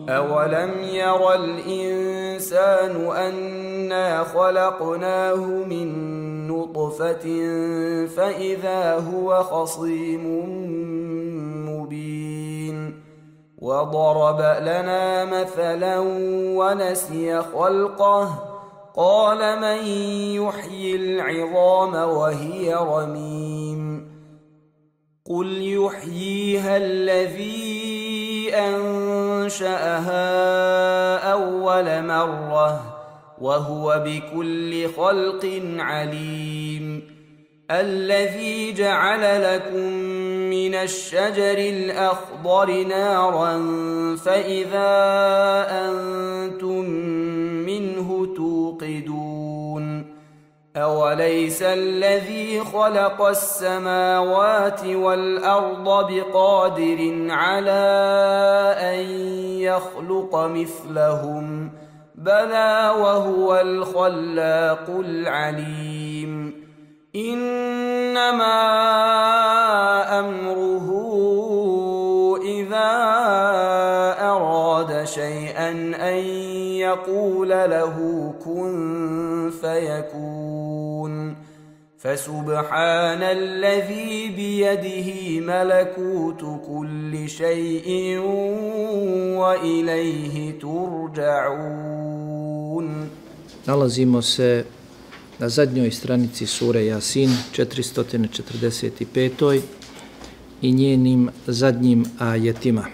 أَوَلَمْ يَرَ الْإِنسَانُ أَنَّا خَلَقْنَاهُ مِنْ نُطْفَةٍ فَإِذَا هُوَ خَصِيمٌ مُبِينٌ وَضَرَبَ لَنَا مَثَلًا وَنَسِيَ خَلْقَهُ قَالَ مَنْ يُحْيِي الْعِظَامَ وَهِيَ رَمِيمٌ قُلْ يُحْيِيهَا الَّذِي أنشأها أول مرة وهو بكل خلق عليم الذي جعل لكم من الشجر الأخضر نارا فإذا أنتم منه توقدون أوليس الذي خلق السماوات والأرض بقادر على أن يخلق مثلهم بلى وهو الخلاق العليم إنما أمره إذا أراد شيئا أن يقول له كن فيكون فسبحان الذي بيده ملكوت كل شيء وإليه ترجعون. Nalazimo se na zadnjoj stranici sure Jasin, 445. i njenim zadnjim ajetima.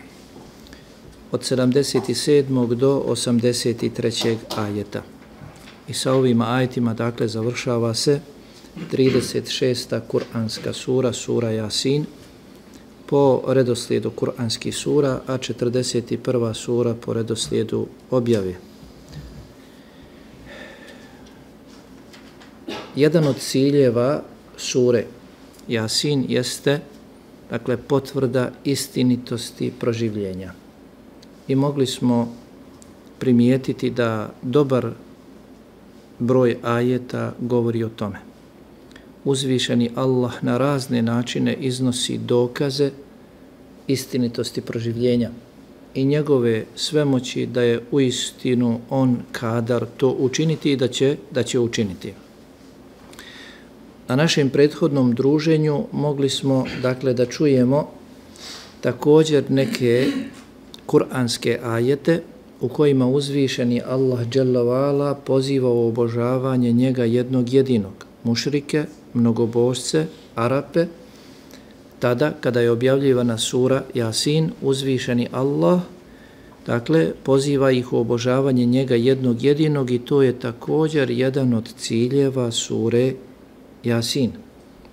Od 77. do 83. ajeta. I sa ovim ajetima, dakle, završava se 36. kuranska sura, sura Jasin, po redoslijedu kuranskih sura, a 41. sura po redoslijedu objave. Jedan od ciljeva sure Jasin jeste, dakle, potvrda istinitosti proživljenja. I mogli smo primijetiti da dobar broj ajeta govori o tome. Uzvišeni Allah na razne načine iznosi dokaze istinitosti proživljenja i njegove svemoći da je uistinu on kadar to učiniti i da će učiniti. Na našem prethodnom druženju mogli smo, dakle, da čujemo također neke kuranske ajete u kojima uzvišeni Allah dželle ve ala poziva u obožavanje njega jednog jedinog, mušrike, mnogobožce, Arape. Tada kada je objavljivana sura Jasin, uzvišeni Allah, dakle, poziva ih u obožavanje njega jednog jedinog i to je također jedan od ciljeva sure Jasin.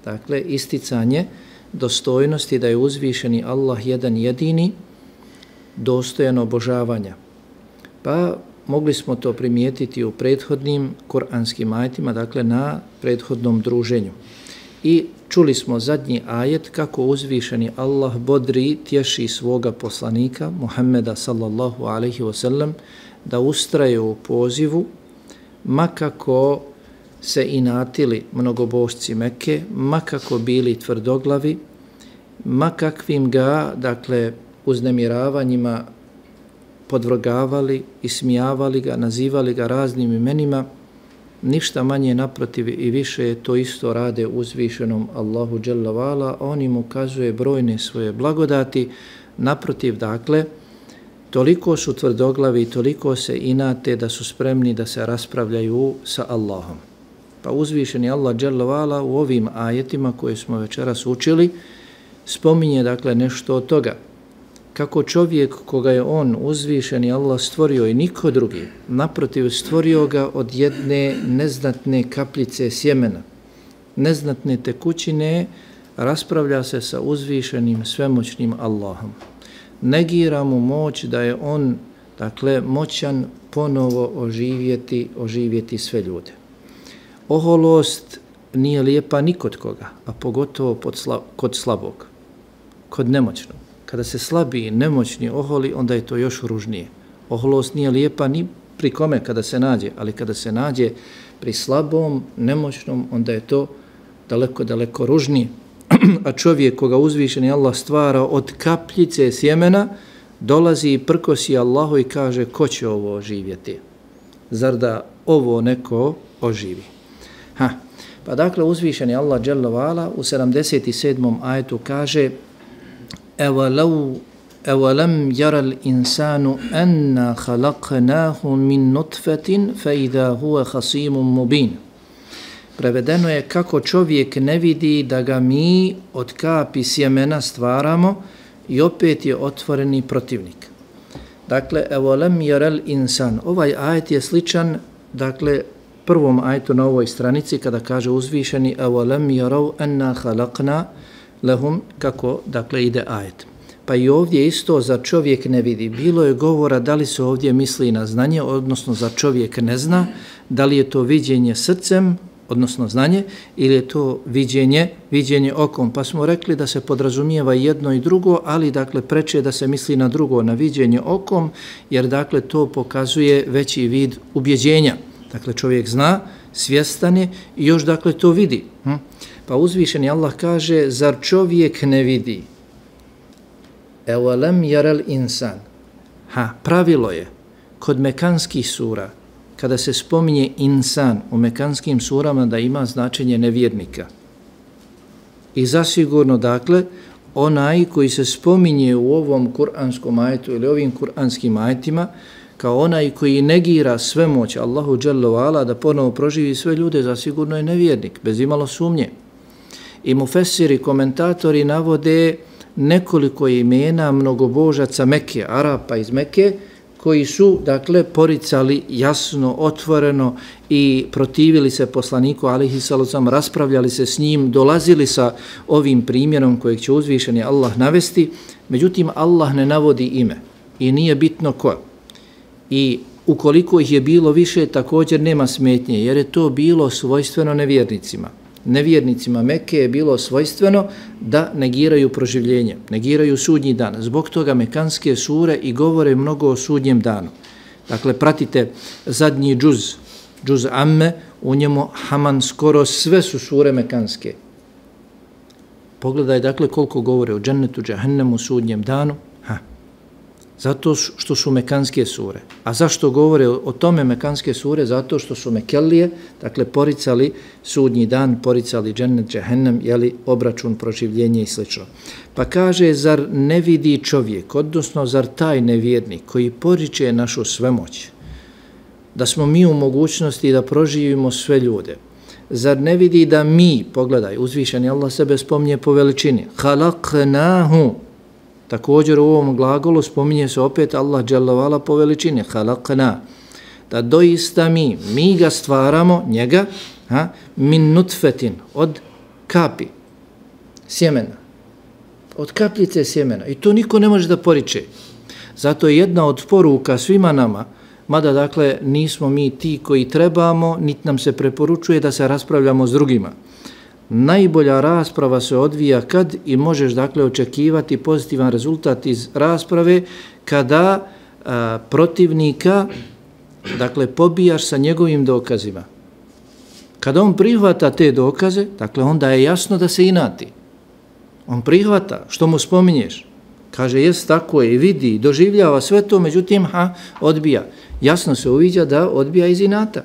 Dakle, isticanje dostojnosti da je uzvišeni Allah jedan jedini, dostojan obožavanja. Pa mogli smo to primijetiti u prethodnim kuranskim ajetima, dakle na prethodnom druženju. I čuli smo zadnji ajet kako uzvišeni Allah bodri, tješi svoga poslanika Muhammeda sallallahu alaihi wasallam da ustraje u pozivu, makako se inatili mnogobožci Mekke, makako bili tvrdoglavi, makakvim ga, dakle, uznemiravanjima podvrgavali, ismijavali ga, nazivali ga raznim imenima, ništa manje, naprotiv i više to isto rade uzvišenom Allahu dželle ve ala, on im ukazuje brojne svoje blagodati, naprotiv, dakle, toliko su tvrdoglavi, toliko se inate da su spremni da se raspravljaju sa Allahom. Pa uzvišeni Allah dželle ve ala u ovim ajetima koje smo večeras učili spominje, dakle, nešto od toga. Kako čovjek koga je on uzvišeni Allah stvorio i niko drugi, naprotiv stvorio ga od jedne neznatne kapljice sjemena, neznatne tekućine, raspravlja se sa uzvišenim svemoćnim Allahom. Negira mu moć da je on, dakle, moćan ponovo oživjeti sve ljude. Oholost nije lijepa ni kod koga, a pogotovo kod slabog, kod nemoćnog. Kada se slabi i nemoćni oholi, onda je to još ružnije. Oholost nije lijepa ni pri kome kada se nađe, ali kada se nađe pri slabom, nemoćnom, onda je to daleko, daleko ružnije. a čovjek koga uzvišeni Allah stvara od kapljice sjemena, dolazi i prkosi Allahu i kaže ko će ovo oživjeti? Zar da ovo neko oživi? Pa dakle uzvišeni Allah dželle ve ala u 77. ajetu kaže Ewalam yaral insanu anna khalaqnahu min nutfatin fa idha huwa khasimun mubin. Prevedeno je kako čovjek ne vidi da ga mi od kapi sjemena stvaramo i opet je otvoreni protivnik. Dakle, ewalam yaral insan. Ovaj ajet je sličan, dakle, prvom ajetu na ovoj stranici kada kaže uzvišeni ewalam yaraw anna khalaqna lahum, kako dakle ide ajet. Pa i ovdje isto za čovjek ne vidi. Bilo je govora da li se ovdje misli na znanje, odnosno za čovjek ne zna, da li je to viđenje srcem, odnosno znanje, ili je to viđenje okom. Pa smo rekli da se podrazumijeva jedno i drugo, ali dakle preče da se misli na drugo, na viđenje okom, jer dakle to pokazuje veći vid ubjeđenja. Dakle čovjek zna, svjestan je i još dakle to vidi. Pa uzvišeni Allah kaže, zar čovjek ne vidi? Ewalam yaral insan. Pravilo je kod mekanskih sura, kada se spominje insan u mekanskim surama, da ima značenje nevjernika. I zasigurno, dakle, onaj koji se spominje u ovom kuranskom ajetu ili ovim kuranskim ajetima, kao onaj koji negira svemoć Allahu dželle ve ala da ponovo proživi sve ljude, zasigurno je nevjernik, bez imalo sumnje. I mufesiri, komentatori navode nekoliko imena mnogobožaca Mekke, Arapa iz Mekke, koji su, dakle, poricali jasno, otvoreno i protivili se poslaniku, alejhi salatu, raspravljali se s njim, dolazili sa ovim primjerom kojeg će uzvišeni Allah navesti, međutim, Allah ne navodi ime i nije bitno ko. I ukoliko ih je bilo više, također nema smetnje, jer je to bilo svojstveno nevjernicima. Nevjernicima Mekke je bilo svojstveno da negiraju proživljenje, negiraju sudnji dan. Zbog toga mekanske sure i govore mnogo o sudnjem danu. Dakle, pratite zadnji džuz Amme, u njemu Haman skoro sve su sure mekanske. Pogledaj, dakle, koliko govore o džennetu, džahennemu, sudnjem danu. Zato što su mekanske sure. A zašto govore o tome mekanske sure? Zato što su Mekelije, dakle, poricali sudnji dan, poricali džennet, džehennem, jeli, obračun, proživljenje i sl. Pa kaže, zar ne vidi čovjek, odnosno zar taj nevjernik koji poriče našu svemoć, da smo mi u mogućnosti da proživimo sve ljude, zar ne vidi da mi, pogledaj, uzvišeni Allah sebe spominje po veličini, halaknahu, također u ovom glagolu spominje se opet Allah dželle ve ala po veličini, halakna, da doista mi ga stvaramo, njega, min nutfetin, od kapi, sjemena, od kapljice sjemena. I to niko ne može da poriče. Zato je jedna od poruka svima nama, mada dakle nismo mi ti koji trebamo, niti nam se preporučuje da se raspravljamo s drugima. Najbolja rasprava se odvija kad i možeš dakle očekivati pozitivan rezultat iz rasprave kada protivnika dakle pobijaš sa njegovim dokazima. Kada on prihvata te dokaze, dakle onda je jasno da se inati. On prihvata što mu spominješ. Kaže, jes tako je, vidi, doživljava sve to, međutim, odbija. Jasno se uviđa da odbija iz inata.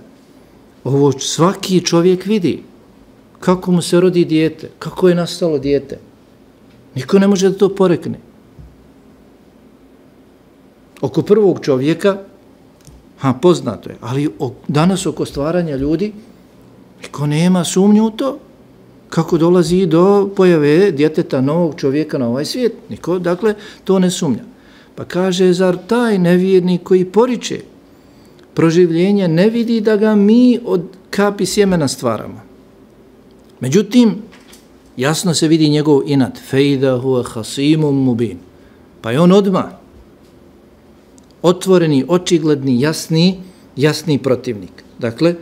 Ovo svaki čovjek vidi. Kako mu se rodi dijete, kako je nastalo dijete. Niko ne može da to porekne. Oko prvog čovjeka, poznato je, ali danas oko stvaranja ljudi, niko nema sumnju u to. Kako dolazi do pojave djeteta novog čovjeka na ovaj svijet. Niko, dakle, to ne sumnja. Pa kaže, zar taj nevjernik koji poriče proživljenje ne vidi da ga mi od kapi sjemena stvaramo? Međutim, jasno se vidi njegov inat. Fejda huwa hasimum mubin. Pa je on odmah otvoreni, očigledni, jasni protivnik. Dakle,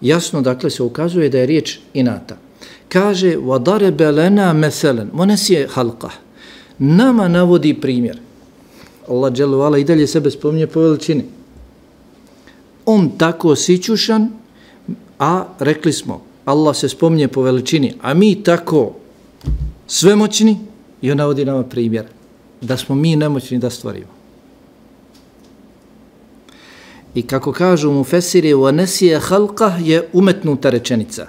jasno dakle se ukazuje da je riječ inata. Kaže, وَضَرَبَ لَنَا مَثَلًا Monesi halqa. Nama navodi primjer. Allah dželle ve ala i dalje sebe spominje po veličini. On tako sićušan, a rekli smo, Allah se spominje po veličini, a mi tako svemoćni i on navodi nama primjer da smo mi nemoćni da stvorimo. I kako kažu mufesiri, وَنَسِيَ خَلْقَ je umetnuta rečenica.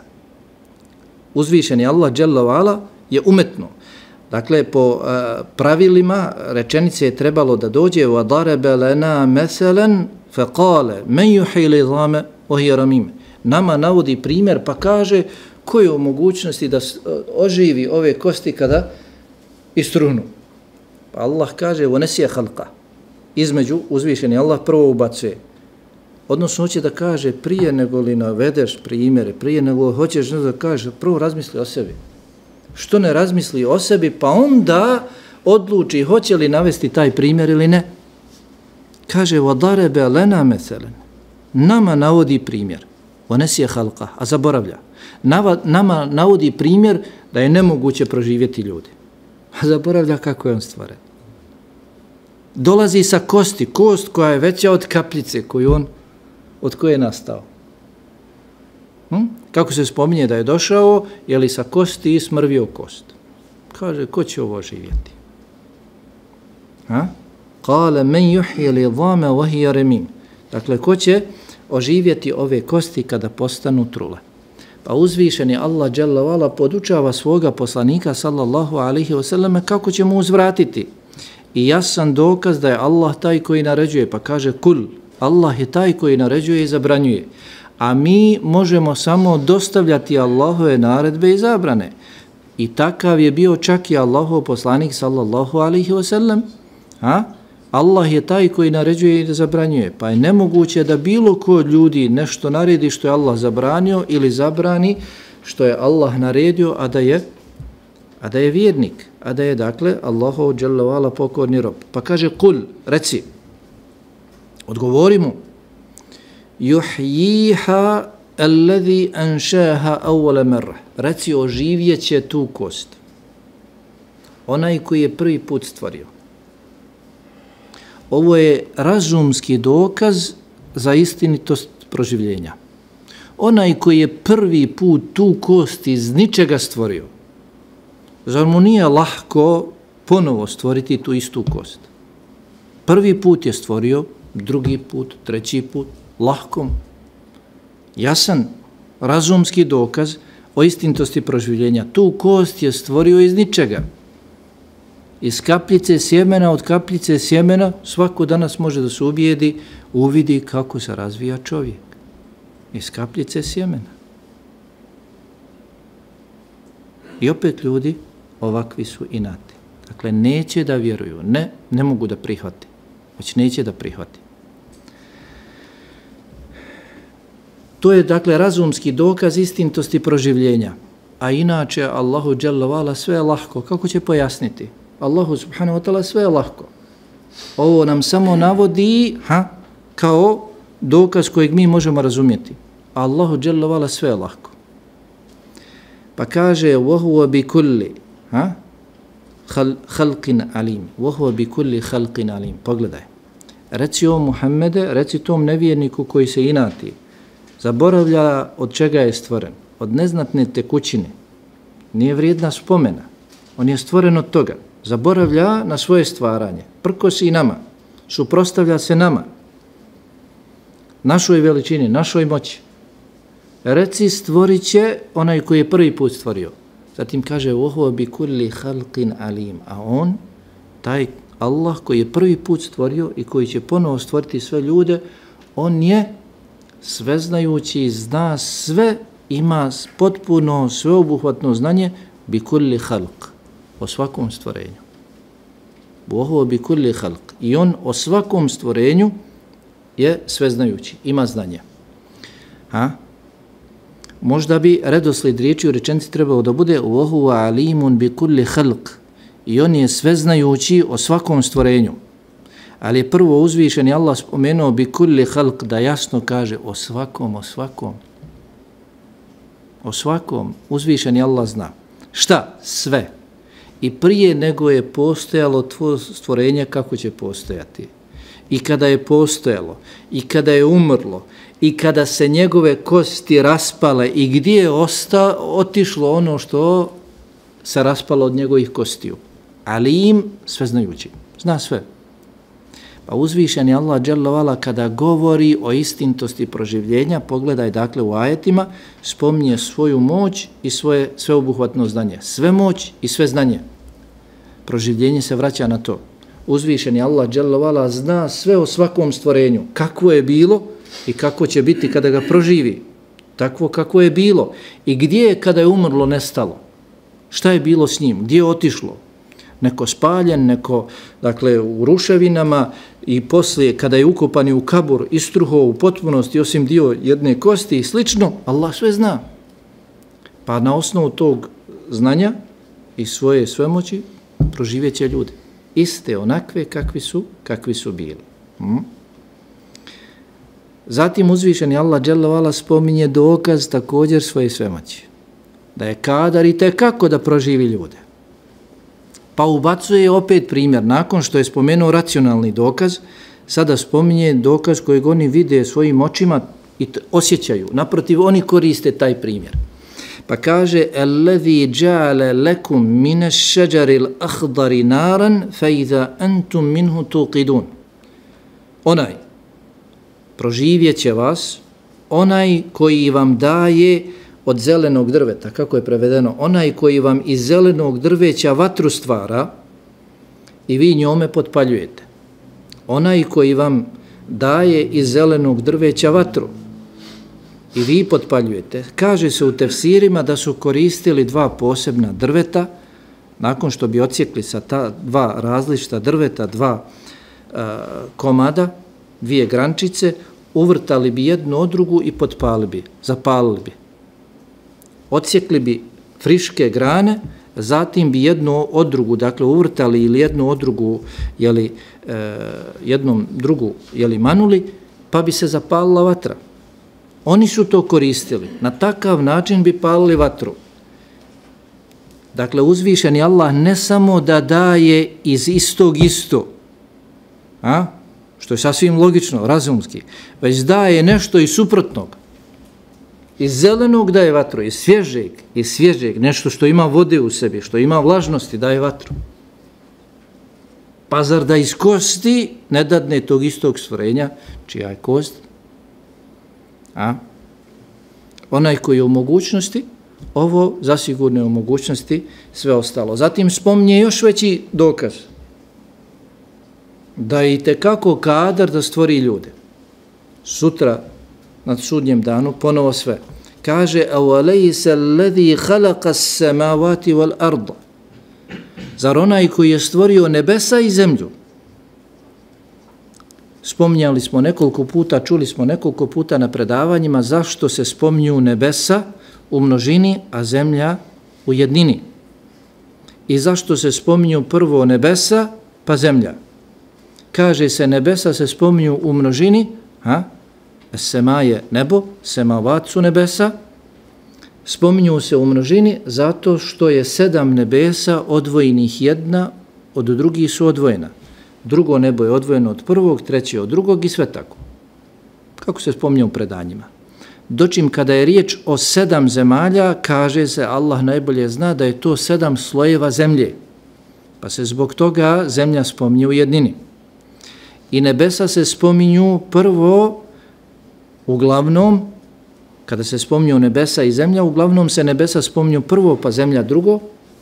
Uzvišeni Allah dželle ve ala je umetno. Dakle, po pravilima rečenice je trebalo da dođe وَضَرَبَ لَنَا مَثَلًا فَقَالَ مَنْ يُحْيِي الْعِظَامَ وَهِيَ رَمِيمٌ. Nama navodi primjer pa kaže ko je u mogućnosti da oživi ove kosti kada istruhnu. Pa Allah kaže وَنَسِيَ خَلْقَ. Između uzvišeni Allah prvo ubacuje. Odnosno hoće da kaže prije nego li navedeš primjere, prije nego hoćeš da kažeš, prvo razmisli o sebi. Što ne razmisli o sebi, pa onda odluči hoće li navesti taj primjer ili ne. Kaže, وَضَرَبَ لَنَا مَثَلًا. Nama navodi primjer. وَنَسِيَ خَلْقَ. A zaboravlja. Nama navodi primjer da je nemoguće proživjeti ljudi. A zaboravlja kako je on stvoren. Dolazi sa kosti, kost koja je veća od kapljice od koje je nastao. Kako se spominje da je došao, je li sa kosti smrvio kost. Kaže, ko će ovo živjeti? Kale, men juhje li dhame vahija remim. Dakle, ko će oživjeti ove kosti kada postanu trule? Pa uzvišeni Allah dželle ve ala podučava svoga poslanika sallallahu alejhi ve selleme kako će mu uzvratiti. I jasan dokaz da je Allah taj koji naređuje, pa kaže kul, Allah je taj koji naređuje i zabranjuje. A mi možemo samo dostavljati Allahove naredbe i zabrane. I takav je bio čak i Allahov poslanik sallallahu alejhi ve sellem. Allah je taj koji naređuje i zabranjuje. Pa je nemoguće da bilo ko od ljudi nešto naredi što je Allah zabranio ili zabrani što je Allah naredio, a da je vjernik, a da je dakle Allahov dželle ve ala pokorni rob. Pa kaže kul, reci, odgovori mu, yuhyiha alladhi anshaha awwala marra. Reci, oživjeće tu kost onaj koji je prvi put stvorio. Ovo je razumski dokaz za istinitost proživljenja. Onaj koji je prvi put tu kost iz ničega stvorio, zar mu nije lahko ponovo stvoriti tu istu kost? Prvi put je stvorio, drugi put, treći put, lahko. Jasan razumski dokaz o istinitosti proživljenja. Tu kost je stvorio iz ničega. Iz kapljice sjemena, od kapljice sjemena, svako danas može da se uvidi kako se razvija čovjek. Iz kapljice sjemena. I opet ljudi ovakvi su inati. Dakle, neće da vjeruju, ne mogu da prihvati, već neće da prihvati. To je, dakle, razumski dokaz istinitosti proživljenja. A inače, Allahu dželle ve ala sve je lahko. Kako će pojasniti? Allahu subhanahu wa ta'ala sve je lahko. Ovo nam samo navodi kao dokaz kojeg mi možemo razumjeti. Allahu dželle ve ala sve je lahko. Pa kaže وَهُوَ بِكُلِّ خَلْقٍ عَلِيمٍ وَهُوَ بِكُلِّ خَلْقٍ عَلِيمٍ. Pogledaj. Reci o Muhammede, reci tom nevjerniku koji se inati, zaboravlja od čega je stvoren, od neznatne tekućine, nije vrijedna spomena, on je stvoren od toga, zaboravlja na svoje stvaranje, prkosi nama, suprotstavlja se nama, našoj veličini, našoj moći. Reci, stvorit će onaj koji je prvi put stvorio. Zatim kaže وَهُوَ بِكُلِّ خَلْقٍ عَلِيمٍ. A on, taj Allah koji je prvi put stvorio i koji će ponovo stvoriti sve ljude, on je sveznajući, zna sve, ima potpuno sveobuhvatno znanje بِكُلِّ خَلْقٍ. O svakom stvorenju. وَهُوَ بِكُلِّ خَلْقٍ. I on o svakom stvorenju je sveznajući, ima znanje. Možda bi redoslijed riječi u rečenici trebao da bude وَهُوَ عَلِيمٌ بِكُلِّ خَلْقٍ. I on je sveznajući o svakom stvorenju. Ali je prvo uzvišeni Allah spomenuo بِكُلِّ خَلْقٍ, da jasno kaže o svakom. O svakom uzvišeni Allah zna. Šta? Sve. I prije nego je postojalo tvoje stvorenje, kako će postojati. I kada je postojalo, i kada je umrlo, i kada se njegove kosti raspale, i gdje je otišlo ono što se raspalo od njegovih kostiju. Alim, sveznajući, zna sve. Pa uzvišeni Allah dželle ve ala kada govori o istintosti proživljenja, pogledaj dakle u ajetima, spominje svoju moć i svoje sveobuhvatno znanje. Sve moć i sve znanje. Proživljenje se vraća na to. Uzvišeni Allah dželle ve ala zna sve o svakom stvorenju, kakvo je bilo i kako će biti kada ga proživi. Takvo kako je bilo i gdje je kada je umrlo nestalo. Šta je bilo s njim, gdje je otišlo? Neko spaljen, neko dakle u ruševinama i poslije kada je ukopan u kabur istruho u potpunosti osim dio jedne kosti i slično, Allah sve zna. Pa na osnovu tog znanja i svoje svemoći proživjet će ljudi. Iste onakve kakvi su bili. Zatim uzvišeni Allah dželle ve ala spominje dokaz također svoje svemoći. Da je kadar i tekako da proživi ljude. Pa ubacuje opet primjer, nakon što je spomenuo racionalni dokaz, sada spominje dokaz kojeg oni vide svojim očima i osjećaju. Naprotiv, oni koriste taj primjer. Pa kaže, الَّذِي جَعَلَ لَكُمْ مِنَ الشَّجَرِ الْأَخْضَرِ نَارًا فَإِذَا أَنْتُمْ مِنْهُ تُوقِدُونَ. Onaj, proživjet će vas, onaj koji vam daje od zelenog drveta, kako je prevedeno, onaj koji vam iz zelenog drveća vatru stvara i vi njome potpaljujete. Onaj koji vam daje iz zelenog drveća vatru i vi potpaljujete. Kaže se u tefsirima da su koristili dva posebna drveta, nakon što bi odsjekli sa ta dva različita drveta, dva komada, dvije grančice, uvrtali bi jednu od drugu i potpali bi, zapalili bi. Odsjekli bi friške grane, zatim bi jednu od drugu, dakle uvrtali ili jednu od drugu, jednom drugu, manuli, pa bi se zapalila vatra. Oni su to koristili. Na takav način bi palili vatru. Dakle, uzvišeni Allah ne samo da daje iz istog isto, što je sasvim logično, razumski, već daje nešto iz suprotnog. Iz zelenog daje vatru, iz svježeg, nešto što ima vode u sebi, što ima vlažnosti, daje vatru. Pa zar da iz kosti ne dadne tog istog stvorenja, čija je kost? Onaj koji je u mogućnosti, ovo zasigurno je u mogućnosti, sve ostalo. Zatim spominje još veći dokaz, da je itekako kadar da stvori ljude. Sutra, na sudnjem danu, ponovo sve. Kaže, أَوَلَيْسَ الَّذِي خَلَقَ السَّمَاوَاتِ وَالْأَرْضَ. Zar onaj koji je stvorio nebesa i zemlju? Spominjali smo nekoliko puta, čuli smo nekoliko puta na predavanjima zašto se spominju nebesa u množini, a zemlja u jednini. I zašto se spominju prvo nebesa, pa zemlja. Kaže se, nebesa se spominju u množini, sema je nebo, semavat su nebesa, spominju se u množini zato što je 7 nebesa odvojenih, jedna od drugih su odvojena. Drugo nebo je odvojeno od prvog, treće od drugog i sve tako. Kako se spominje u predanjima. Dočim kada je riječ o 7 zemalja, kaže se, Allah najbolje zna da je to 7 slojeva zemlje. Pa se zbog toga zemlja spominje u jednini. I nebesa se spominju prvo, uglavnom, kada se spominju nebesa i zemlja, uglavnom se nebesa spominju prvo, pa zemlja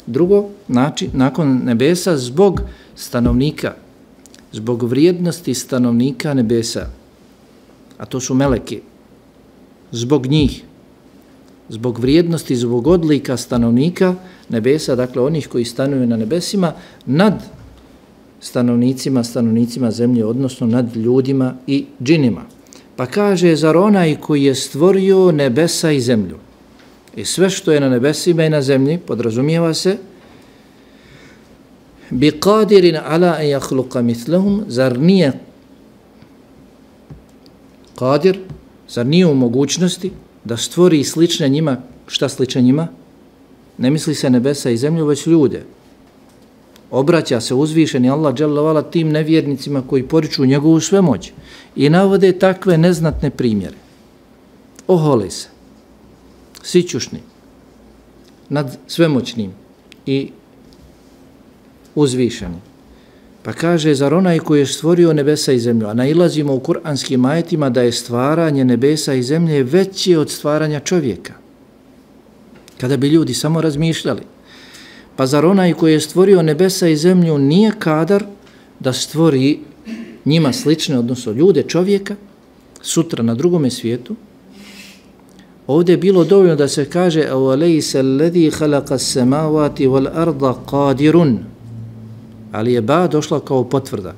drugo, znači, nakon nebesa zbog stanovnika, zbog vrijednosti stanovnika nebesa, a to su meleki, zbog njih, zbog vrijednosti, zbog odlika stanovnika nebesa, dakle onih koji stanuju na nebesima, nad stanovnicima zemlje, odnosno nad ljudima i džinima. Pa kaže, zar onaj koji je stvorio nebesa i zemlju i sve što je na nebesima i na zemlji, podrazumijeva se, bi qadirin ala an yakhluqa mithlahum, zar nije qadir, zar nije u mogućnosti da stvori slične njima, šta slične njima? Ne misli se nebesa i zemlju, već ljude. Obraća se uzvišeni Allah dželle ve ala tim nevjernicima koji poriču njegovu svemoć i navode takve neznatne primjere. Ohole se, sićušni, nad svemoćnim, i uzvišeni. Pa kaže, zar onaj koji je stvorio nebesa i zemlju, a nailazimo u kuranskim ajetima da je stvaranje nebesa i zemlje veće od stvaranja čovjeka. Kada bi ljudi samo razmišljali. Pa zar onaj koji je stvorio nebesa i zemlju nije kadar da stvori njima slične, odnosno ljude, čovjeka, sutra na drugome svijetu? Ovdje je bilo dovoljno da se kaže أَوَلَيْسَ الَّذِي خَلَقَ السَّمَاوَاتِ وَالْأَرْضَ قَادِرٌ, ali je ba došla kao potvrda.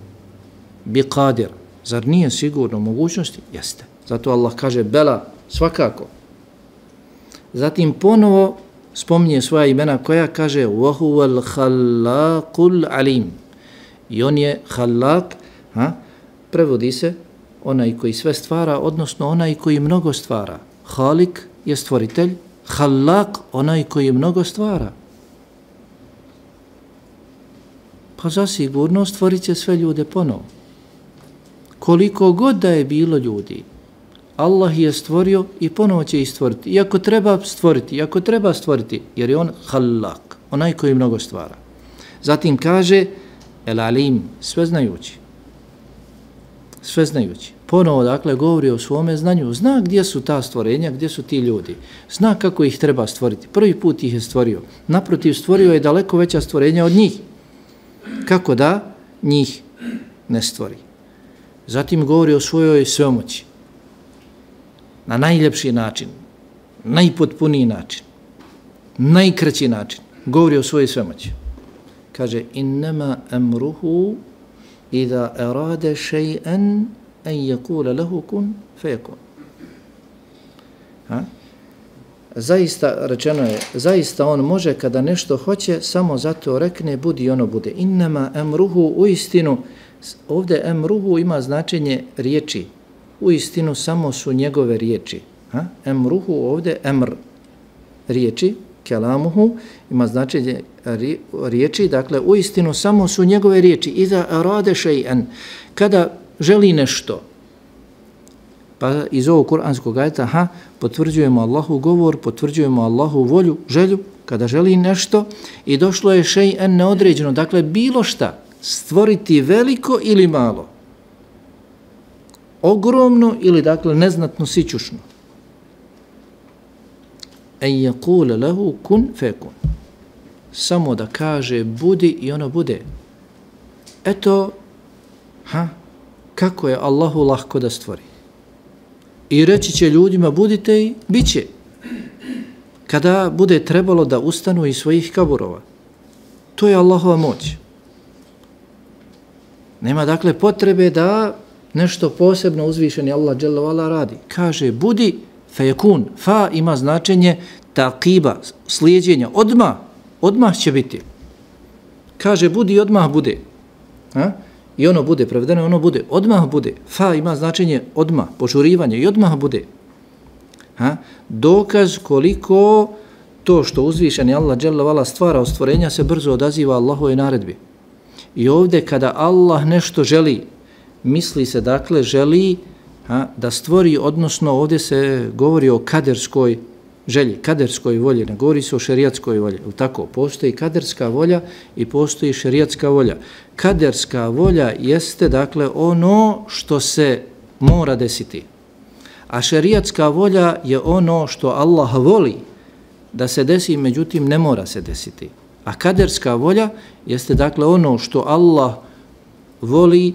Bi qadir. Zar nije sigurno mogućnosti? Jeste. Zato Allah kaže bela, svakako. Zatim ponovo spominje svoja imena koja kaže وَهُوَ الْخَلَّاقُ الْعَلِيمُ. I on je halak, prevodi se onaj koji sve stvara, odnosno onaj koji mnogo stvara. Halik je stvoritelj, halak onaj koji mnogo stvara. Pa zasigurno stvorit će sve ljude ponovo. Koliko god da je bilo ljudi, Allah je stvorio i ponovo će ih stvoriti. Iako treba stvoriti, jer je on halak, onaj koji mnogo stvara. Zatim kaže El Alim, sveznajući. Sveznajući. Ponovo, dakle, govori o svome znanju. Zna gdje su ta stvorenja, gdje su ti ljudi. Zna kako ih treba stvoriti. Prvi put ih je stvorio. Naprotiv, stvorio je daleko veća stvorenja od njih. Kako da njih ne stvori. Zatim govori o svojoj svemoći. Na najljepši način, najpotpuniji način, najkraći način. Govori o svojoj svemoći. Kaže, innama amruhu idha arada shay'an an yaqula lahu kun fayakun. Zaista, rečeno je, zaista on može kada nešto hoće, samo zato rekne budi i ono bude. Innama amruhu, uistinu, ovdje amruhu ima značenje riječi. Uistinu samo su njegove riječi. Amruhu ovdje amr riječi, kelamuhu ima značenje riječi, dakle uistinu samo su njegove riječi. Iza arade shay'an, kada želi nešto. Pa iz ovog kuranskog ajeta potvrđujemo Allahu govor, potvrđujemo Allahu volju, želju, kada želi nešto i došlo je shay'an neodređeno, dakle bilo šta, stvoriti veliko ili malo, ogromno ili dakle neznatno sićušno. En yaqula lahu kun fekun. Samo da kaže budi i ono bude. Eto, kako je Allahu lahko da stvori. I reći će ljudima budite i bit će. Kada bude trebalo da ustanu iz svojih kaburova. To je Allahova moć. Nema dakle potrebe da nešto posebno uzvišeni Allah dželle ve ala radi. Kaže budi fejekun. Fa ima značenje taqiba, slijedjenja. Odmah će biti. Kaže budi i odmah bude. I ono bude, prevedeno ono bude. Odmah bude. Fa ima značenje odmah, požurivanje i odmah bude. Dokaz koliko to što uzvišeni Allah dželle ve ala stvara od stvorenja se brzo odaziva Allahovoj naredbi. I ovdje kada Allah nešto želi, misli se dakle želi da stvori, odnosno ovdje se govori o kaderskoj želji, kaderskoj volji, ne govori se o šerijatskoj volji. Tako, postoji kaderska volja i postoji šerijatska volja. Kaderska volja jeste dakle ono što se mora desiti. A šerijatska volja je ono što Allah voli da se desi, međutim ne mora se desiti. A kaderska volja jeste dakle ono što Allah voli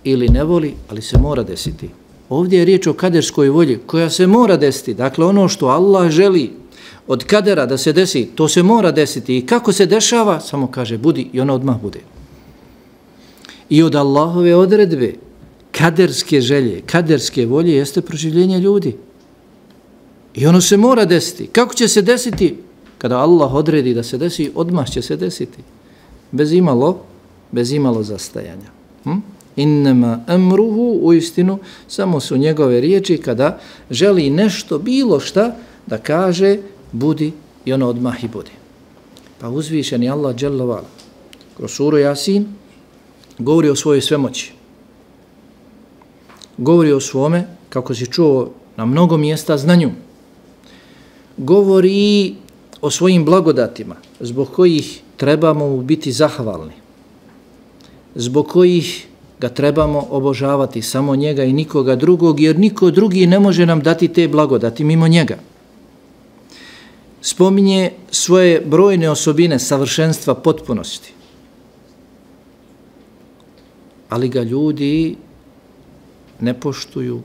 ili ne voli, ali se mora desiti. Ovdje je riječ o kaderskoj volji koja se mora desiti. Dakle, ono što Allah želi od kadera da se desi, to se mora desiti. I kako se dešava, samo kaže budi i ono odmah bude. I od Allahove odredbe, kaderske želje, kaderske volje jeste proživljenje ljudi. I ono se mora desiti. Kako će se desiti? Kada Allah odredi da se desi, odmah će se desiti. Bez imalo zastajanja. Innama amruhu, uistinu, samo su njegove riječi kada želi nešto, bilo šta, da kaže budi i ono odmah i budi. Pa uzvišeni Allah dželle ve ala kroz suru Jasin govori o svojoj svemoći. Govori o svome, kako si čuo na mnogo mjesta, znanju. Govori o svojim blagodatima, zbog kojih trebamo mu biti zahvalni, zbog kojih ga trebamo obožavati, samo njega i nikoga drugog, jer niko drugi ne može nam dati te blagodati mimo njega. Spominje svoje brojne osobine savršenstva, potpunosti. Ali ga ljudi ne poštuju,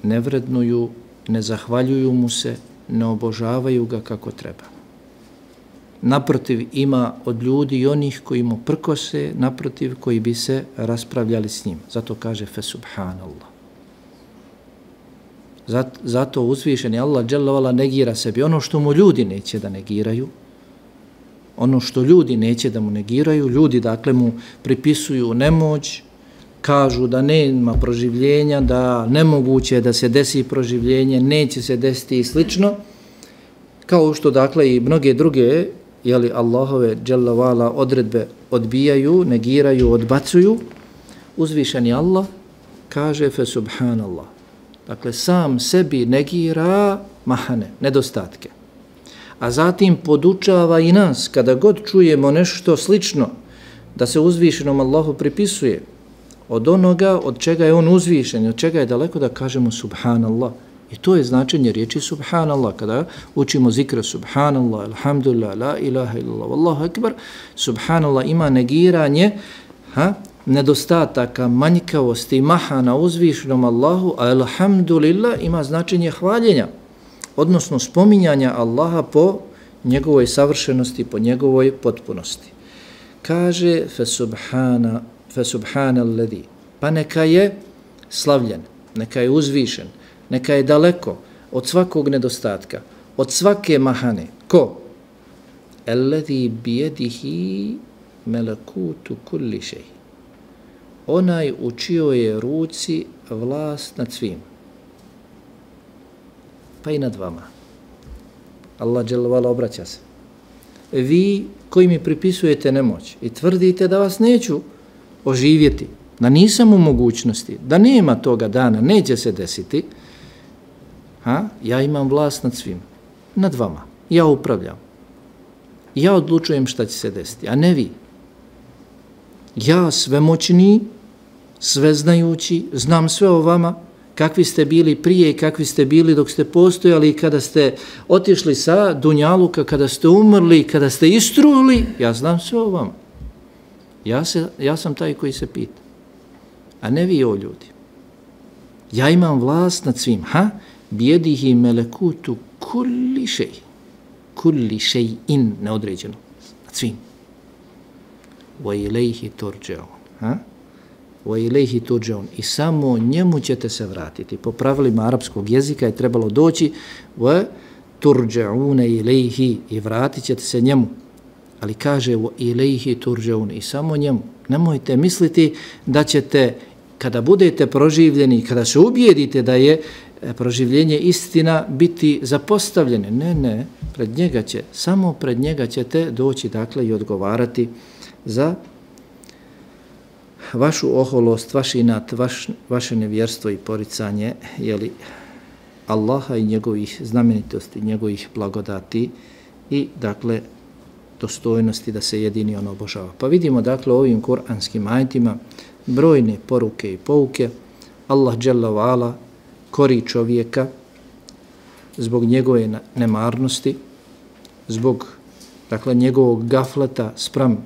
ne vrednuju, ne zahvaljuju mu se, ne obožavaju ga kako treba. Naprotiv, ima od ljudi i onih koji mu prkose, naprotiv, koji bi se raspravljali s njim. Zato kaže fe subhanallah. Zato uzvišeni Allah dželle vala negira sebi ono što mu ljudi neće da negiraju, ono što ljudi neće da mu negiraju, ljudi dakle mu pripisuju nemoć, kažu da nema proživljenja, da nemoguće je da se desi proživljenje, neće se desiti i slično, kao što dakle i mnoge druge Allahove dželle vala odredbe odbijaju, negiraju, odbacuju. Uzvišeni Allah kaže fe subhanallah. Dakle, sam sebi negira mahane, nedostatke. A zatim podučava i nas, kada god čujemo nešto slično, da se uzvišenom Allahu pripisuje od onoga od čega je on uzvišen, od čega je daleko, da kažemo subhanallah. I to je značenje riječi subhanallah. Kada učimo zikra subhanallah, alhamdulillah, la ilaha illallah, wallahu akbar, subhanallah ima negiranje nedostataka, manjkavosti i mahana uzvišenom Allahu, a alhamdulillah ima značenje hvaljenja, odnosno spominjanja Allaha po njegovoj savršenosti, po njegovoj potpunosti. Kaže fe subhanalladhi, pa neka je slavljen, neka je uzvišen, neka je daleko od svakog nedostatka, od svake mahane. Ko? Alladhi bijedihi melekutu kulli šej. Onaj u čijoj je ruci vlast nad svim. Pa i nad vama. Allah dželle vala obraća se. Vi koji mi pripisujete nemoć i tvrdite da vas neću oživjeti, da nisam u mogućnosti, da nema toga dana, neće se desiti, ja imam vlast nad svim, nad vama. Ja upravljam. Ja odlučujem šta će se desiti, a ne vi. Ja svemoćni, sveznajući, znam sve o vama, kakvi ste bili prije i kakvi ste bili dok ste postojali i kada ste otišli sa dunjaluka, kada ste umrli, kada ste istruli, ja znam sve o vama. Ja sam taj koji se pita, a ne vi o ljudi. Ja imam vlast nad svim, bijedihi melekutu kulli šej in, neodređeno, nad svim. Wa ilaihi turđaun. Wa ilaihi turđaun. I samo njemu ćete se vratiti. Po pravilima arapskog jezika je trebalo doći wa turđaune ilaihi i vratit ćete se njemu. Ali kaže wa ilaihi turđaun i samo njemu. Nemojte misliti da ćete, kada budete proživljeni, kada se ubijedite da je proživljenje istina, biti zapostavljene. Ne, pred njega će, samo pred njega ćete doći dakle i odgovarati za vašu oholost, vaš inat, vaše nevjerstvo i poricanje Allaha i njegovih znamenitosti, njegovih blagodati i dakle dostojnosti da se jedini on obožava. Pa vidimo dakle ovim kuranskim ajetima brojne poruke i pouke. Allah dželle vala kori čovjeka zbog njegove nemarnosti, zbog dakle njegovog gafleta spram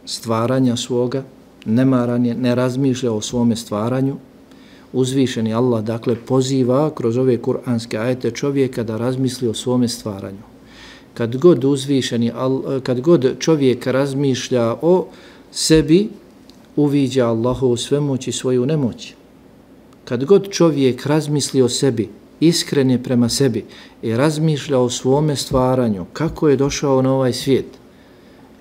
stvaranja svoga, nemaranje, ne razmišlja o svome stvaranju. Uzvišeni Allah dakle poziva kroz ove kuranske ajete čovjeka da razmisli o svome stvaranju. Kad god čovjek razmišlja o sebi, uviđa Allahovu svemoć i svoju nemoć. Kad god čovjek razmisli o sebi, iskren je prema sebi i razmišlja o svome stvaranju, kako je došao na ovaj svijet,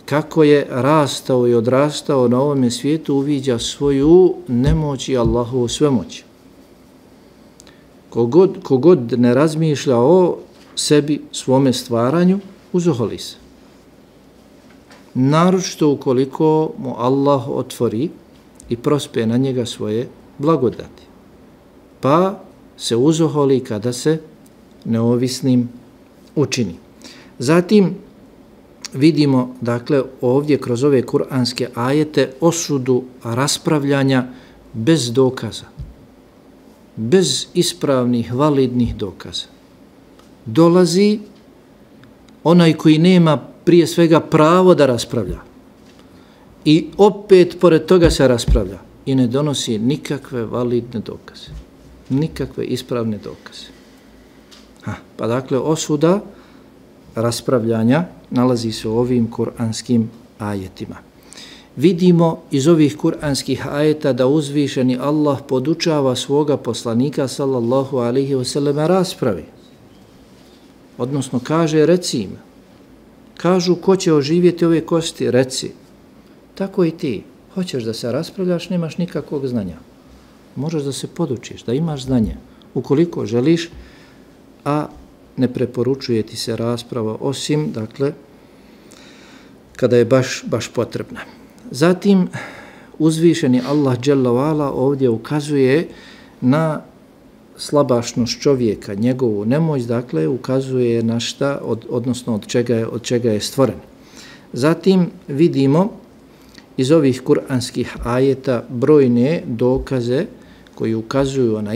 kako je rastao i odrastao na ovome svijetu, uviđa svoju nemoć i Allahovu svemoć. Kogod ne razmišlja o sebi, svome stvaranju, uzoholi se. Naročito ukoliko mu Allah otvori i prospe na njega svoje blagodati. Pa se uzoholi kada se neovisnim učini. Zatim, vidimo, dakle, ovdje kroz ove kuranske ajete osudu raspravljanja bez dokaza, bez ispravnih, validnih dokaza. Dolazi onaj koji nema prije svega pravo da raspravlja i opet pored toga se raspravlja i ne donosi nikakve validne dokaze, nikakve ispravne dokaze. Pa dakle, osuda raspravljanja nalazi se u ovim kuranskim ajetima. Vidimo iz ovih kuranskih ajeta da uzvišeni Allah podučava svoga poslanika sallallahu alaihi wasallam raspravi. Odnosno kaže, reci im. Kažu, ko će oživjeti ove kosti? Reci. Tako i ti. Hoćeš da se raspravljaš, nemaš nikakvog znanja. Možeš da se podučiš, da imaš znanje. Ukoliko želiš, a ne preporučuje ti se rasprava osim, dakle, kada je baš potrebna. Zatim, uzvišeni Allah dželle ve ala ovdje ukazuje na slabašnost čovjeka, njegovu nemoć, dakle, ukazuje na šta, odnosno od čega je stvoren. Zatim vidimo iz ovih kuranskih ajeta brojne dokaze koji ukazuju na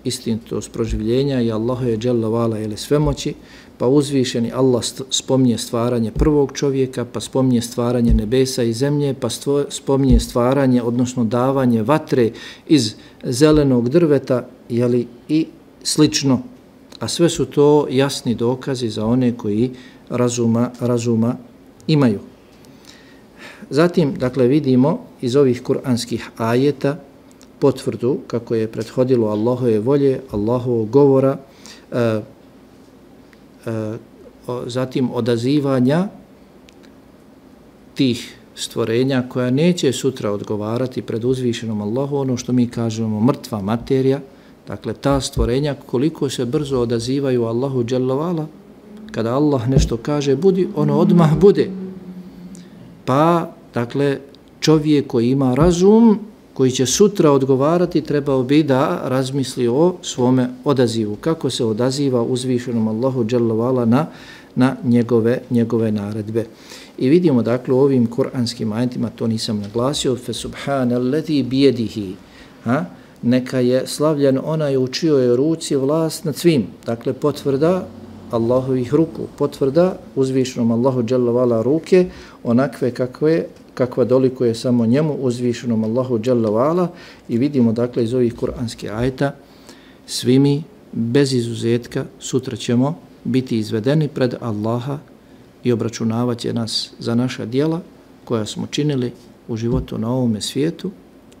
istinitost proživljenja i Allahu je dželle ve ala ili svemoći, pa uzvišeni Allah spominje stvaranje prvog čovjeka, pa spominje stvaranje nebesa i zemlje, pa spominje stvaranje, odnosno davanje vatre iz zelenog drveta, jeli, i slično. A sve su to jasni dokazi za one koji razuma imaju. Zatim, dakle, vidimo iz ovih kuranskih ajeta potvrdu kako je prethodilo Allahove volje, Allahovog govora, zatim odazivanja tih stvorenja koja neće sutra odgovarati pred uzvišenom Allahu, ono što mi kažemo mrtva materija, dakle ta stvorenja koliko se brzo odazivaju Allahu dželle ve ala, kada Allah nešto kaže budi, ono odmah bude. Pa, dakle, čovjek koji ima razum, koji će sutra odgovarati, trebao bi da razmisli o svome odazivu. Kako se odaziva uzvišenom Allahu dželle ve ala na njegove naredbe. I vidimo, dakle, u ovim kuranskim ajetima, to nisam naglasio, fe subhanallazi bijedihi, neka je slavljen onaj u čijoj ruci vlast nad svim. Dakle, potvrda Allahovih ruku, potvrda uzvišenom Allahu dželle ve ala ruke, onakve kakva dolikuje samo njemu, uzvišenom Allahu dželle ve ala, i vidimo, dakle, iz ovih kuranskih ajeta, svi mi, bez izuzetka, sutra ćemo biti izvedeni pred Allaha i obračunavat će nas za naša djela koja smo činili u životu na ovome svijetu,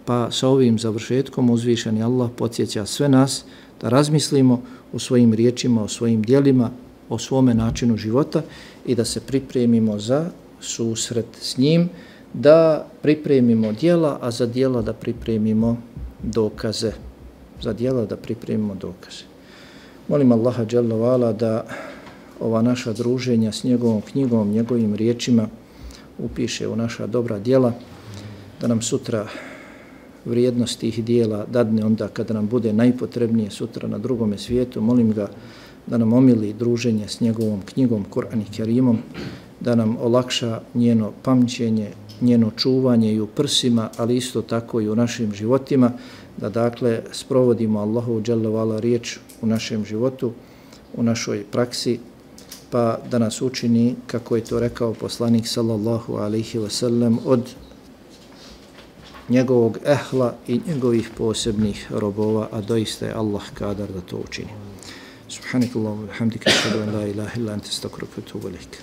pa sa ovim završetkom uzvišeni Allah podsjeća sve nas da razmislimo o svojim riječima, o svojim djelima, o svome načinu života i da se pripremimo za susret s njim, da pripremimo djela, a za djela da pripremimo dokaze. Za djela da pripremimo dokaze. Molim Allaha dželle ve ala da ova naša druženja s njegovom knjigom, njegovim riječima upiše u naša dobra djela, da nam sutra vrijednost tih dijela dadne onda kada nam bude najpotrebnije sutra na drugome svijetu. Molim ga da nam omili druženje s njegovom knjigom, Kur'an i Kerimom, da nam olakša njeno pamćenje, njeno čuvanje i u prsima, ali isto tako i u našim životima, da dakle sprovodimo Allahu dželle ve ala riječ u našem životu, u našoj praksi, pa da nas učini, kako je to rekao poslanik sallallahu alejhi ve sellem, od njegovog ehla i njegovih posebnih robova, a doista je Allah kadar da to učini. Subhanakallahumma wa bihamdika, ashhadu an la ilaha illa anta, astaghfiruka wa atubu ilaik.